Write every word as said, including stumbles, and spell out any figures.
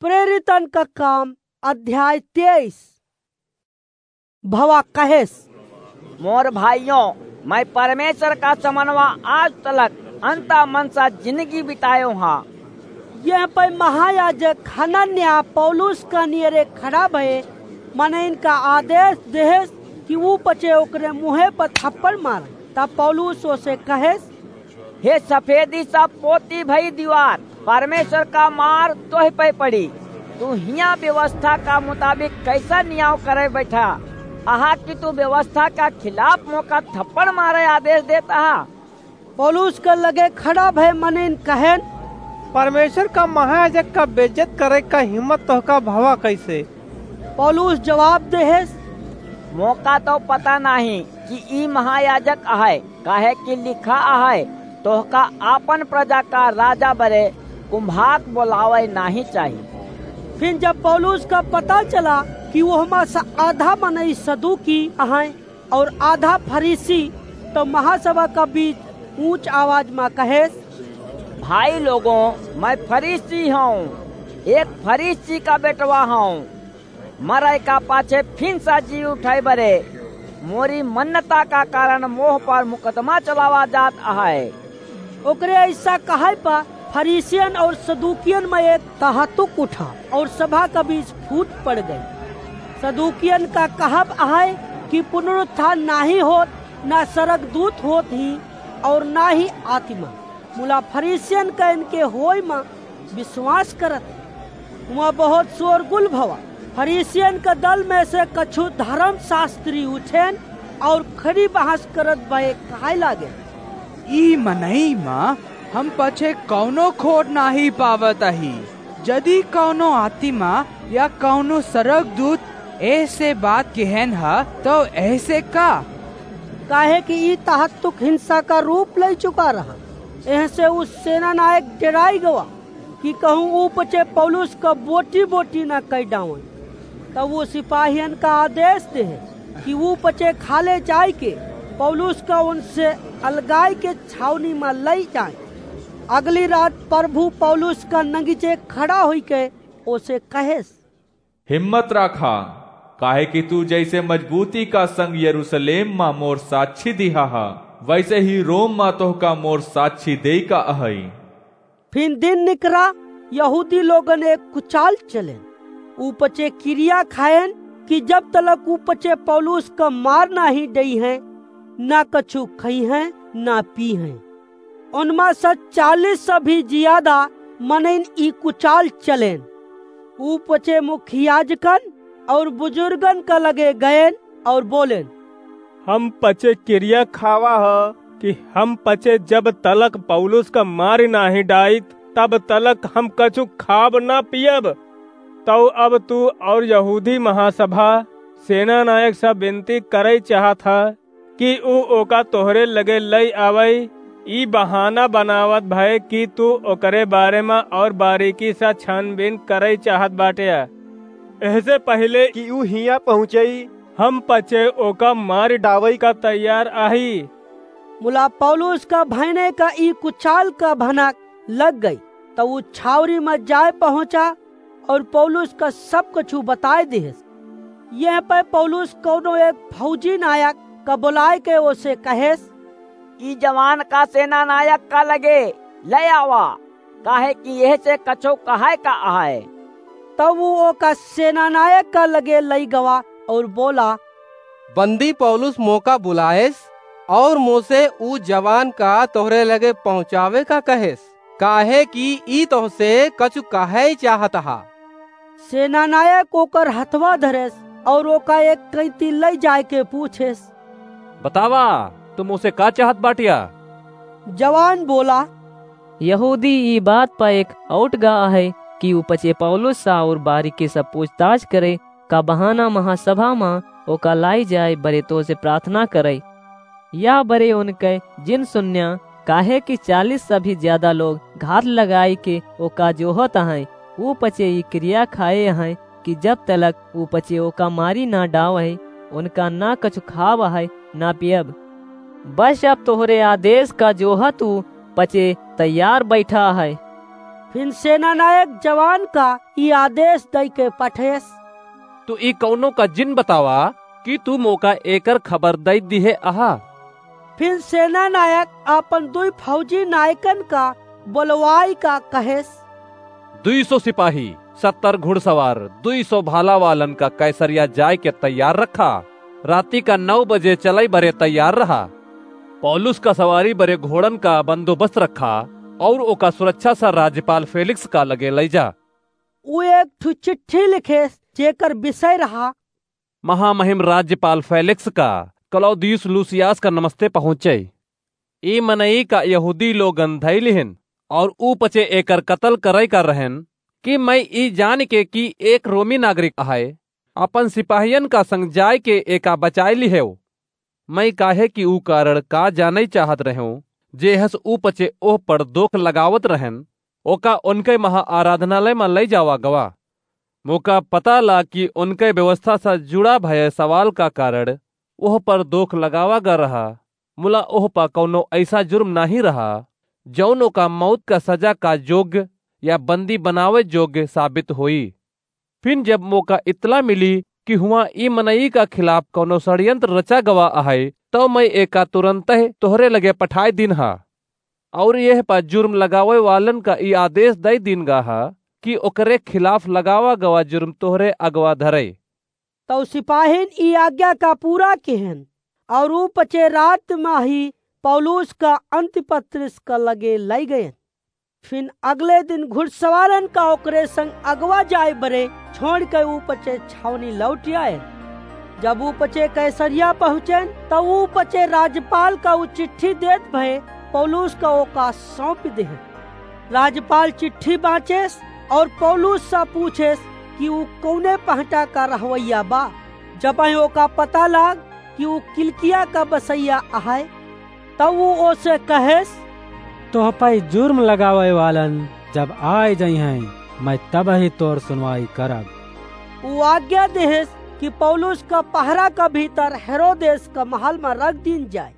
प्रेरितन का काम, अध्याय तेईस। भवा कहेस, मोर भाइयों, मैं परमेश्वर का समनवा आज तलक अंता मन सा जिंदगी बितायो हा। यह पे महायाजक हनन्याह पौलुस का नियरे खड़ा भए, मनइन का आदेश देहेस कि ऊ पचे ओकरे मुँहे पर थप्पड़ मारे। तब पौलुस ओसे कहेस, हे सफेदी सा पोती भई दीवार, परमेश्वर का मार तोह पे पड़ी। तू हियाँ व्यवस्था का मुताबिक कैसा नियाव करे बैठा? अहा कि तू व्यवस्था का खिलाफ मोका थप्पड़ मारे आदेश देत अहा? पौलुस के लगे खड़ा भय मनइन कहेन, परमेश्वर का महायाजक का बेइज्जत करे का हिम्मत तोहका भवा कैसे? पौलुस जवाब देहेस, मोका तो पता नाही कि ई महायाजक अहै, काहे कि लिखा अहै, तोहका आपन प्रजा का राजा बरे कुम्हाक बोलावै नाही चाही। फिर जब पौलुस का पता चला कि ओहमा से आधा मनई सदूकी अहै और आधा फरीसी, तो महासभा का बीच ऊंच आवाज मा कहेस, भाई लोगों, मैं फरीसी हूँ, एक फरीसी का बेटवा हूँ। मरय का पाछे फिन सा जी उठय बरे मोरी मन्नता का कारण मोह पर मुकदमा चलावा जात अहै। ओकरे ऐसा कहय पर फरीसियन और सदूकियन में एक तहतुक उठा और सभा का बीच फूट पड़ गई। सदूकियन का कहब अहै कि पुनरुत्थान नाही होत, ना सरग दूत होत ही और ना ही आत्मा। मुला फरीसियन का इनके होय मा विश्वास करत। हुआ बहुत शोरगुल भवा। फरीसियन का दल में से कछु धर्मशास्त्री उठेन और खड़ी बहस करत भए कहै लागे, ई मनई मा हम पछे कौनो खोट नाही पावत अही। जदि कौनो आत्मा या कौनो सरगदूत ऐसे बात कहेन ह, तो ऐसे का? काहे कि ई तहतुक हिंसा का रूप लई चुका रहा। एहसे ऊ सेना नायक डेराई गवा कि कहूँ ऊ पचे पौलुस का बोटी बोटी ना कई डावन। तब ऊ सिपाहियन का आदेश देहे कि ऊ पचे खाले जाय के पौलुस का उनसे अलगाय के छावनी मा लई जाए। अगली रात प्रभु पौलुस का नगीचे खड़ा होई के ओसे कहेस, हिम्मत राखा, काहे कि तू जैसे मजबूती का संग यरूशलेम मा मोर साक्षी दिहा हा, वैसे ही रोम मा तोहका मोर साक्षी देई का अहई। फिन दिन निकरा, यहूदी लोगन एक कुचाल चलेन। ऊ पचे किरिया खाएन कि जब तलक ऊ पचे पौलुस का मार नाही डइहैं, ना कछु खइहैं, ना पीहैं। उनमा से चालीस से भी जियादा मनइन ई कुचाल चलेन। ऊ पचे मुखियाजकन और बुजुर्गन का लगे गएन और बोलेन, हम पचे किरिया खावा ह कि हम पचे जब तलक पौलुस का मारि नाही डाइत, तब तलक हम कछु खाब ना पियब। तौ अब तू और यहूदी महासभा सेना नायक से विनती करई चाहत ह कि ऊ ओका तोहरे लगे लई आवई। ई बहाना बनावत भए कि तू ओकरे बारे मा और बारीकी से छानबीन करई चाहत बाटे। एहसे पहिले कि ऊ हियाँ पहुँचई, हम पचे ओका मारि डावई का तैयार आही। मुला पौलुस का भयने का ई कुचाल का भनक लग गई, त ऊ छावरी मा जाए पहुँचा और पौलुस का सब कछु बताए दिहेस। यह पे पौलुस कौनो एक फौजी नायक का बुलाए के ओसे कहेस, ई जवान का सेना नायक का लगे ले आवा, काहे कि एहसे कछु कहै का अहै। तब ऊ ओका सेना नायक का लगे लई गवा और बोला, बंदी पौलुस मोका बुलाएस और मोसे ऊ जवान का तोहरे लगे पहुँचावे का कहेस, काहे कि ई तोहसे कछु कहै चाहत हा। सेना नायक ओकर हथवा धरेस और ओका एक कैंती लई जाए के पूछेस, बतावा, तू मोसे का चाहत बाटिया? जवान बोला, यहूदी ई बात प एक औटगा अहै कि ऊ पचे पौलुस से और बारीकी से पूछताछ करे का बहाना महासभा मा ओका लाई जाए बरे तोसे प्रार्थना करे। या बरे उनके जिन सुन्या, काहे कि चालीस से भी ज्यादा लोग घात लगाई के ओका जोहत अहैं, ऊ पचे ई किरिया खाए अहैं कि जब तलक ऊ पचे ओका मारी ना डावै, उनका ना कछु खाब अहै, ना पियब। बस अब तोहरे आदेश का जोहत ऊ पचे तैयार बैठा अहै। फिन सेनानायक जवान का ई आदेश दइ के पठेस, "तू ई कउनो का जिन बतावा कि तू मोका एकर खबर दइ दिहे अहा।" फिन सेनानायक आपन दुइ फौजी नायकन का बोलवाइ का कहेस, "दुइ सौ सिपाही, सत्तर घुड़सवार, दुइ सौ भाला वालन का कैसरिया जाइ के तैयार रखा। राती का नौ बजे चलइ बरे तैयार रहा। पौलुस का सवारी बरे घोड़न का बंदोबस्त रखा अउर ओका सुरक्षा सा राज्यपाल फेलिक्स का लगे लइ जा।" उ एक ठु चिट्ठी लिखेस, जेकर विषय रहा, "महामहिम राज्यपाल फेलिक्स का क्लौदियुस लूसियास का नमस्ते पहुँचइ। ई मनई का यहूदी लोगन धइ लिहिन अउर ऊ पचे एकर कतल करइ का रहेन कि मइँ ई जान के कि एक रोमी नागरिक अहइ, आपन सिपाहियन का संग जाइ के एका बचाइ लिहेव। मइँ काहे कि ऊ कारण का जानइ चाहत रहेव, जेहस ऊ पचे ओह पर दोख लगावत रहेन, ओका ओनकइ महा आराधनालय मा लइ जावा गवा। मोका पता ला कि ओनकइ व्यवस्था सा जुड़ा भय सवाल का कारण ओह पर दोख लगावा गा रहा, मुला ओह पा कउनो अइसा जुर्म नाहीं रहा, जउन ओका मउत का सजा का जोग्य या बंदी बनावइ जोग्य साबित होई। फिन जब मोका इतला मिली कि हुआँ ई मनई का खिलाफ कउनो षड्यंत्र रचा गवा अहइ, तउ मइँ एका तुरन्तहि तोहरे लगे पठाइ दीन्हा। अउर एह पा जुर्म लगावइ वालन का ई आदेश दइ दीन गा हा कि ओकरे खिलाफ लगावा गवा जुर्म तोहरे अगवा धरइ।" तउ सिपाहिन ई आज्ञा का पूरा किहेन, अउर ऊ पचे रात मा ही पौलुस का अंतिपत्रिस का लगे लइ गएन। फिन अगले दिन घुड़सवारन का ओकरे संग अगवा जाइ बरे छोड़ि के ऊ पचे छावनी लौटि आएन। जब ऊ पचे कैसरिया पहुँचेन, तब ऊ पचे राज्यपाल का ऊ चिट्ठी देत भए पौलुस का ओका सौंपि देहेन। राज्यपाल चिट्ठी बाँचेस अउर पौलुस सा पूछेस कि ऊ कउने पहटा का रहवइया बा। जबहिं ओका पता लाग कि ऊ किलिकिया का बसइया अहइ, तब ऊ ओसे कहेस, "तोह पइ जुर्म लगावइ वालन जब आइ जइहइँ, मइँ तबहिं तोर सुनवाई करब।" ऊ आज्ञा देहेस कि पौलुस का पहरा का भीतर हेरोदेस का महल मा रख दीन जाइ।